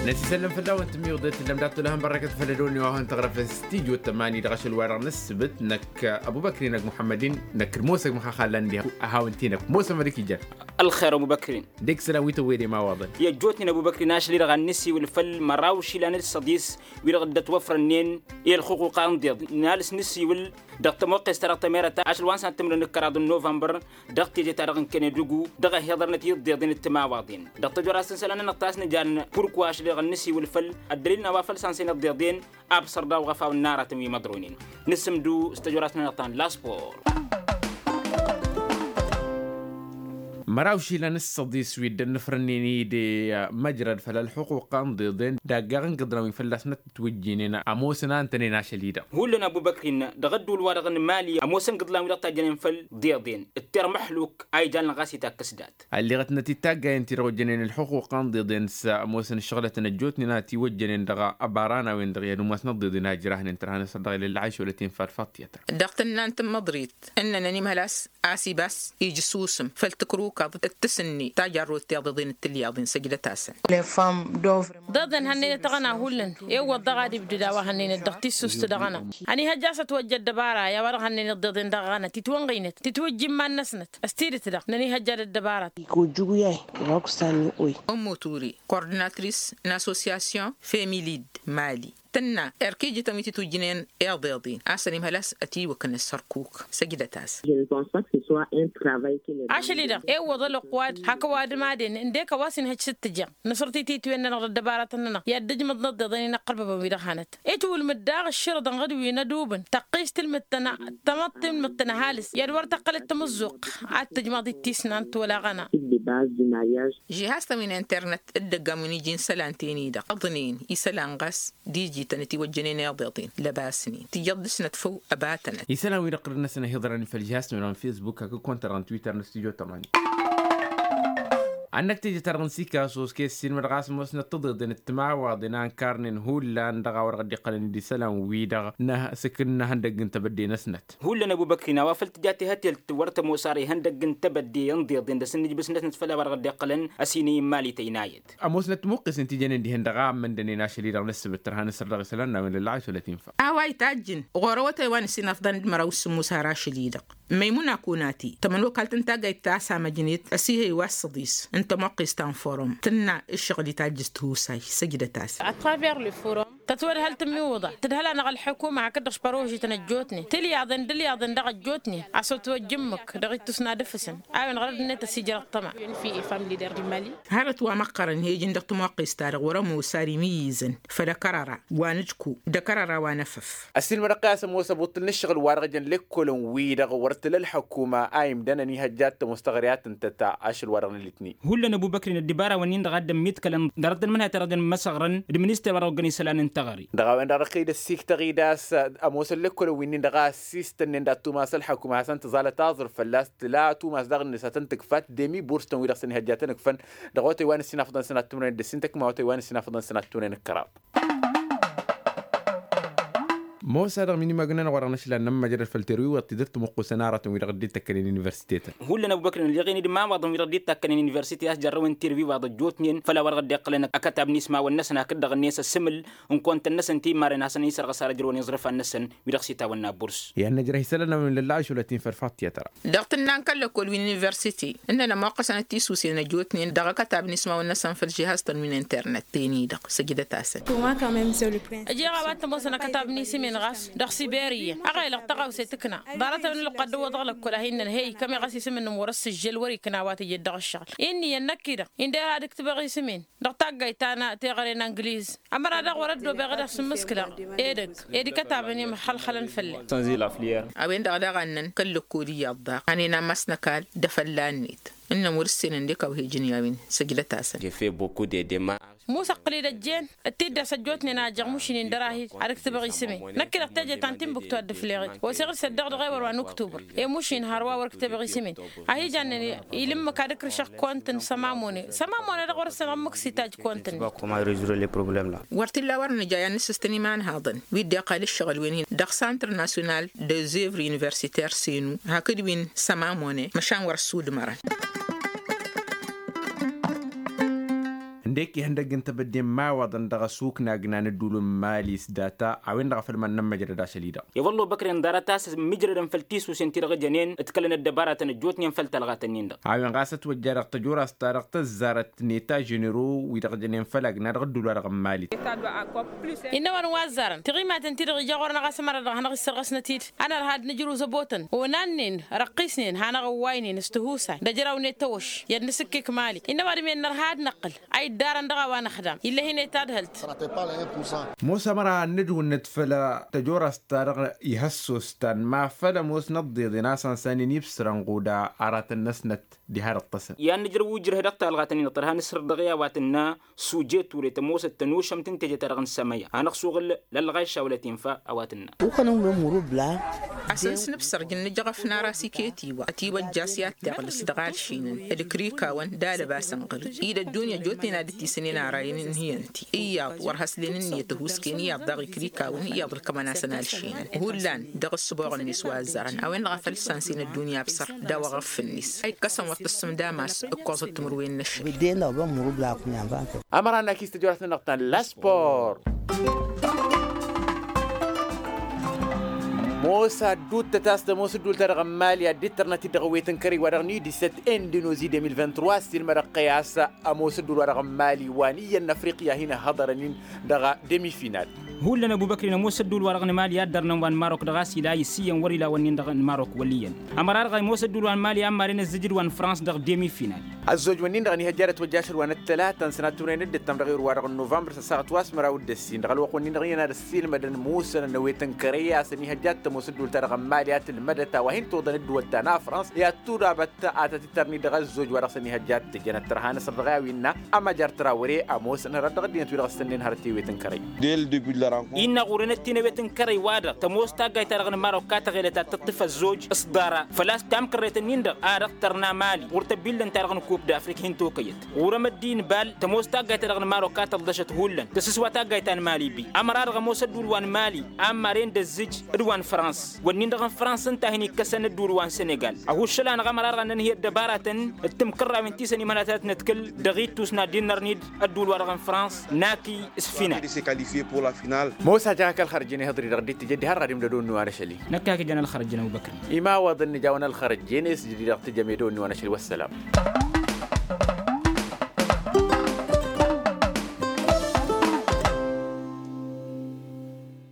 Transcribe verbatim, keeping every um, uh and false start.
Năsisăllăm făll-a-wen tǝmmiwǝḍet tǝllăm dat-tolăhăn bărrăkăt făll-ădoni wa hăn tăɣrăfăn s-tijo tămani dăɣ-ašăl-wa-dăɣ n-ǝssǝbǝt năkk ăbubăkri năkk muḥămmăd-in năkk d-mosăg măxaxallan diha. Hawăn-t-i năkk mosămăd ǝkijăn. Ălxer ăbubăkri. Dek sălan wi tăwwedem a waḍăn. I-ăjjootnen ăbubăkri n-ašăl-i-dăɣ a n-nǝsiwǝl făll-măraw išilan d-săḍis wi-dăɣ dd-ătwăfrănnen i-ălxuquqa n-iḍeḍ n-alǝs nǝsiwǝl dăɣ-tămoqqes-ta-dăɣ tămerăt ašăl wa n-săn tǝmrǝn ǝkkăraḍ n-novămbăr dăɣ-teje-ta-dăɣ n-kănedugu dăɣ-ehhiḍărnăt i-iḍeḍen d-timawaḍen dăɣ-tăjorast n-isălan-nănăɣ ta s-nǝjan purkwa ašăl-i-dăɣ ănnǝsiwǝl făll-ăddălil n-a-wa făll-san-săn iḍeḍen. Absăr daw-ɣăfaw n-aratăn wi măḍronen. Nǝsǝmdu s-tăjorast-nănăɣ ta n-laspor. Măraw išilan s-săḍis wi dd-ănnăfrănnen i-de măjrăd făll-ălxuquqa n-iḍeḍen d-aggaɣ n-gǝḍran wi fălla-s năttătwǝjjinen ămoosăn a ǝntănen ašăl-i-dăɣ. Hullan ăbubăkrin dăɣ-ădduul-wa-dăɣ n-mali ămoosăn gǝḍlan wi dăɣ-tajjănen făll-iḍeḍen d-tirmăxluk a ijan ɣas itakkăs dat. Ălleɣătnăt-dd taggayen ti-dăɣ ojjănen ălxuquqa n-iḍeḍen s-ămoosăn ǝššăɣlătăn ăjjootnen a ătiwăjjănen dăɣ-abaranawen dăɣ-i ad-umasnăt d-iḍen a ǝjrahnen tărha n-asăr dăɣ-ilălla ašăwlăt-in farfat tiyătăr. Dăɣ-tǝnna n-tǝmmăḍrit ǝnnănăn imhăl a-s asibas ijǝsusǝm făll-tǝkrǝwkaḍ d-tǝsǝnne tajarrut tiḍeḍen d-tilyaḍen săjdăt-asăn. Ḍeḍen hannăynăt aɣăna hullan ewwăḍ dăɣ-ad-ibdǝd a-wa hănnăynăt dăɣ-tissust dăɣ-aɣăna. Ănihăjja a-s ătwăjja ăddăbara i-a-wa-dăɣ hănnăynăt ḍeḍen dăɣ-aɣăna titwănɣăynăt titwǝjj iman-năsnăt. S-tidǝt-dăɣ nănihăjja d-ăddăbara. Iko juguyay iwaksan ni oy. Ǝmmu ture kordinatris n-assosyasyon femilid mali tǝnna erk ijǝtăn wi titwǝjjǝnen iḍeḍen a-s ănimhăl a-s ătiwǝknăs hărkuk. Săjdăt-as. Ašăl-i-dăɣ iwwăḍ ălwăqq wa hakăwad ămaden ǝndek a-wa s-inhăj s-dd-tǝjjeɣ nǝsrăt i-titwen-nănăɣ d-ăddăbaratăn-nănăɣ i-ad-dd-ǝjmǝḍ n-iḍeḍen-i n-iqqărbăbăn wi-dăɣ hanăt. Itwǝlmǝd daɣ ǝššǝrǝḍăn ɣǝd wi n-ădubǝn tăqqist tǝlmǝd-tăn tămăḍt tǝlmǝd-tăn ăhalǝs i-ad-wăr tăqqălăt tamǝzzuɣt ad-tǝjmaḍ-dd tisnant wăla aɣăna. Žihaz-tăn wi n-internet d-ăgg-am wi n-iji n-isălan-ten-i-dăɣ ǝḍnen isălan ɣas d-ijităn ătiwăjjănen iḍeḍen lăbasnen tijjăḍ dăɣ-snăt făw. Ăbatănăt isălan-wi-dăɣ tǝrǝd-năsăn ăhiḍărăn făll-žihaz-tăn wi-dăɣ n-facebook hakd kăwăn-ta-dăɣ n-twitter n-stujo tămani. Ad-năkk teje-ta-dăɣ n-sikasos kessǝn mădɣas ămoosnăt tiḍeḍen d-timawaḍen a ǝnkarnen hullan dăɣ-a-wa dăɣ-dd-iqqălăn d-isălan-wi-dăɣ n-asǝkǝl n-ehăndăgg n-tebădde-năsnăt. Hullan ăbubăkri n-a-wa făl tǝja tehătelt wăr tămoos ara ihăndăgg n-tebădde n-iḍeḍen dăr-s ǝnnǝjbǝsnătnăt făll-a-wa dăɣ-dd-iqqălăn ăsinăy n-imali tăynayăt. Ămoosnăt timuqqesen ti jănen dihen dăɣ-a ămmăndănen ašăl-i-dăɣ n-ǝssǝbǝt tărha n-asăr dăɣ-isălan n-a-wen lălla a išălăt infa. A-wa itajjǝn ɣur-awătay wa n-ǝssin afḍăn d-măraw s-sǝmmus har ašăl-i-dăɣ. Măymuna kunati tămănokalt n-taggayt ta s-amăjnet ăsihăy wa s-săḍis n-tămoqqist ta n-forum tǝnna ǝššăɣǝl itajjǝs tihusay. Săjdăt-asăn. Tătwădhăl tǝmmiwǝḍa tǝdhăl-anăɣ ălḥukuma hakd-dăɣ s-părožităn ăjjootnen tilyaḍen d-ilyaḍen dăɣ-ăjjootnen a-s ătwăjjǝmmǝk dăɣ-ittus n-ad-ǝfǝsăn a-wen ɣărăd-net ăsijrăɣ ṭṭăma. Hărăt wa măqqărăn he-ijǝn dăɣ-tămoqqist-ta-dăɣ wăr-ămoos ar imǝyyǝzăn făll-ăkărăra wa n-ǝjku d-ăkărăra wa n-efăf. Ăssiilmădăɣ-kăy a-s ămoos ăbuṭṭǝl n-ǝššăɣǝl-wa-dăɣ jăn lekkolăn-wi-dăɣ wăr t-tǝla ălḥukuma a imdăn ănihăjja ad-tămoos taɣăre a tǝntăt ašăl-wa-dăɣ n-elitni. Hullan ăbubăkri n-ăddibara-wăn-in-dăɣ a dd-ămmiḍkălăn ḍarăt n-ămǝnhăy a t-irăjăn măsăɣrăn d-minister wa dăɣ-oggăn isălan n-taɣăre. Dăɣ-a-wen-dăɣ răqqăy d-ăssiktăɣ-dd a-s ămoosăn lekkolăn wi-nin-dăɣ a ăssistănnen d-ad-tumas ălḥukuma hasăn-tǝẓalăt aẓrǝf fălla-s tǝla tumas daɣ-net hasăn-tǝkfat d-emi burs-tăn-wi-dăɣ s-ănihăjjatăn ǝkfăn. Dăɣ-otay wa n-ǝssin afḍăn săn ad-tǝmrăyăn d-ǝssin tăkma otay wa n-ǝssin afḍăn săn ad-tǝmrăyăn d-kăraḍ. Mosa dăɣ-minimăg-nănăɣ wa dăɣ-năšlan n-ămmăjrăd făll-terwiwăḍ tidǝrt tămuqqusăn aratăn wi-dăɣ dd-ittăkkănen universitetăn. Hullan ăbubăkri n-ălleɣen d-imawaḍăn wi-dăɣ dd-ittăkkănen universite a-s jărrăwen terwiwăḍ ăjjootnen făll-a-wa dăɣ-dd-iqqălăn akătab n-ismawăn-năsăn hakd dăɣ-net ăsǝmǝl n-kăwăn-tăn-năsăn ti immaren hasăn-isărɣăs ar ăjrăwăn iẓrǝfan-năsăn wi-dăɣ s-itawănna burs. I-ad-năjrăh isălan a-wen lălla ašăwlăt-in făll-faḍt tiyătra. Dăɣ-tǝnna n-kăl-lăkkol wi n-universite ǝnnăn ămoqqăsăn d-tisusen ăjjootnen dăɣ-akătab n-ismawăn-năsăn făll-žihaz-tăn wi n-internet-ten-i-dăɣ. Săjdăt-asăn. Ǝjeɣ a-wa t-ămoosăn akătab n-isǝmen ɣas dăɣ-siberiya ăɣelăɣ tăɣawse tǝkna ḍarăt-a-wen ălwăqq ad-dăwwăḍăɣ lăkkol a hin-nănhăy kămeɣ a-s isǝm-nǝm wăr-ăssǝžžel wăr-ikna a-wa tǝjed dăɣ-ăššăɣǝl. Inniyăn năkk-i-dăɣ indăr ad-ǝktǝbăɣ isǝmen dăɣ-taggayt ta n-teɣăre n-angliz. Ămăra daɣ wăr-ăddobeɣ ad-ăsǝmmǝskǝlăɣ edăgg ed ikătabăn imăxxălxălăn făll-e. A-wen-dăɣ daɣ a ǝnnăn kăl-lăkkol iyyăḍ daɣ hanen ammas n-ăkall d-afălla-net ǝnnăn wăr-ǝssenăn dek a-wa he-ijăn i-a-wen. Săjdăt-asăn. Musa ǝqqǝl-dd ăjjeen d-tiddas ăjjootnen a ăjjăɣ mušǝnen dăr-ahil ad-ǝktǝbăɣ isǝmen. Năkk-i-dăɣ teje ta n-timbuktu a dd-ǝfleɣ-dd osăɣ-dd săddeɣ dăɣ-ewăr wa n-uktubăr. I-mušin hărwa wăr-ǝktǝbăɣ isǝmen. A hi-jannen ilǝmmǝk ad-ǝkrǝšăɣ kont n-sămamone sămamone-dăɣ wăr-ǝssănăɣ ǝmmǝk s-itajj kont-net. Wăr t-illa wăr nǝja i-ad-nǝssǝs tăn-imanhaḍăn wi dd-iqqal ǝššăɣǝl-wen-in dăɣ-santr nasyonal dezevr universiter senu hakd wi n-sămamone măšan wăr-ăssudmărăn. D-eki ihăndăgg n-tebădde n-imawaḍăn dăɣ-asuknagna n-ădduul n-mali s-data a-wen-dăɣ a făl iman n-ămmăjrăd ašăl-i-dăɣ. I-wălla obăkren ḍarăt a-s mǝjrădăn făll-tisusen-ti-dăɣ ǝjănen d-kălăn ăddăbaratăn ăjjootnen făll-talɣat-ǝnnin-dăɣ. A-wen ɣas ătwăjja dăɣ-tăjorast-ta-dăɣ tăzzarăt neta ženero-wi-dăɣ ǝjănen făll-agna dăɣ-ădduul-wa-dăɣ n-mali. Innă a-wa n-wa ăzzarăn tiɣimaten-ti-dăɣ ija ɣur-năɣ a-s ămăra dăɣ-hanăɣ-issărɣăsnăt-dd. Ănărha d-nǝjrǝw zăbotăn onannăyăn răqqisnen hanăɣ-ăwwaynen s-tihusay d-ajraw-net tawăš i-ad-nǝsǝkkǝk mali. Innă ăwadǝm-en nărha ad-năqqǝl a iddarăn dăɣ-a-wa năxdam ill'-e-hin i-tadhǝlt. Ămoos ămăra ad-nǝdwǝnnǝt făll-tăjorast-ta-dăɣ ihăssos ta n-ma făl ămoos n-ăḍḍeḍen a-s ănsanen ibsărăn ɣuda aratăn-năsnăt diha dăɣ-tăsăn. I-ad-nǝjrǝw ujrǝh dăɣ-talɣat-nin-dăɣ tărha nǝsrǝd dăɣ-i a-wa tǝnna suje ture tămoosăt tănušăm tǝnteje-ta-dăɣ n-sămăya hanăɣ-suɣǝl lălɣayša wăla tinfa a-wa tǝnna. Ukănăn wen murubla. A-s ǝnsǝnǝbsăr jǝnnǝjăɣăf n-aras iket-iwa ătiwăjja a-s i-ad-tiɣlǝs dăɣ-alšinăn d-ikrikawăn d-alăbas ănɣăl-i d-ăddunya ăjjootnen ad-dd-tisǝnen arayăn ǝnhǝyăn-ti iyyăḍ wăr haslen ǝnniyăt ăhuusken iyyăḍ daɣ ikrikawăn iyyăḍ ǝlkămăn-asăn alšinăn hullan dăɣ-ǝssǝboɣ-net wa ăzzarăn a-wen-dăɣ a făl ǝssansen ăddunya absăr d-a-wa ɣăf-net a ikkăsăn wăr tǝssǝmdam a-s ǝkkoẓăt timǝrwen n-ăššăk. Ămăra n-akis tăjorast-nănăɣ ta n-laspor. Mosa dd-uttăt a-s tămoos ădduul-ta-dăɣ n-mali ad-dd-tărnăt-dd dăɣ-ewet n-kărăy wa dăɣ-nidisăt indonozi de mil vingt-trois s-ilmădăɣ-t i-a-s ămoos ădduul-wa-dăɣ n-mali wa n-iyyăn n-afriqya hin-ăhhăḍărăn-in dăɣ-demi-final. Hullan ăbubăkri n-ămoos ădduul-wa-dăɣ n-mali a dd-ărnăn wa n-marok dăɣ-a-s ila isǝyyăn wăr-ila wănnin-dăɣ n-marok wăl' iyyăn. Ămăra-dăɣ ămoos ădduul wa n-mali a n-maren ăzzǝjǝd wa n-frans dăɣ-demi-final. Ăzzoj-wǝnnin-dăɣ ănihăjja ad-ătwăjja ašăl wa n-ăttălata n-sănat turăyăn dd-ǝttăm dăɣ-erwa-dăɣ n-novămbăr s-ăssaɣăt wa s-măraw d-ǝssin dăɣ-ălwăqq-wǝnnin-dăɣ iyyăn ad-ăssiilmădăn musănăn n-ewet n-kărăy a-s ănihăjja ad-tămoos ădduul-ta-dăɣ n-mali a tǝlmădăt a-wa hin-toḍăn ădduwăl ta n-afrans i-ad-tudabăt a tăt-tărni dăɣ-ăzzoj wa dăɣ-s ănihăjja ad-tǝjjănăt tărha n-asăr dăɣ-i a-wi innă ămăjăr trawre ămoosăn hărăt dăɣ-ăddinăt wi-dăɣ s-tănnen hărăt i-ewet n-kărăy. Dăɣ-ăɣurănăt-in ewet n-kărăy-wa-dăɣ tămoos taggayt-ta-dăɣ n-marok a tăɣelăt ad-tăṭṭǝf ăzzoj s-ḍara făl-a-s tamkărret-nin-dăɣ a dăɣ-tărna mali ɣur-tăbbillăn-ta-dăɣ n-kup d-afrik hin-tokăyăt. Ɣur-emăddi n-bal tămoos taggayt-ta-dăɣ n-marok a tălḍăšăt hullan tăsǝswa taggayt ta n-mali bi ămăra-dăɣ ămoos ădduul wa n-mali a n-maren d-ăzzǝj d-wa n-frans wănnin-dăɣ n-frans ǝnta a hin-ikkăsăn ădduul wa n-senegal. Ăhuššăl-anăɣ ămăra-dăɣ ad-nănhǝy ăddăbaratăn d-timkărrawen ti săn imănatăt n-ad-tǝkǝl dăɣ-ittus n-ad-dd-innărnǝy-dd ădduul-wa-dăɣ n-frans n-akǝy s-final. Mosa jăɣ-ak ălxărjăn ihǝḍri dăɣ-dd-tǝjăd diha ărradimdăd-o n-nuwan ašăl-i. Năkk a kǝjăn ălxărjăn ăbubăkr. Imawaḍăn nǝja-wăn ălxărjăn s-jădid dăɣ-tǝjăm ed o n-nuwan ašăl-i wăssălam.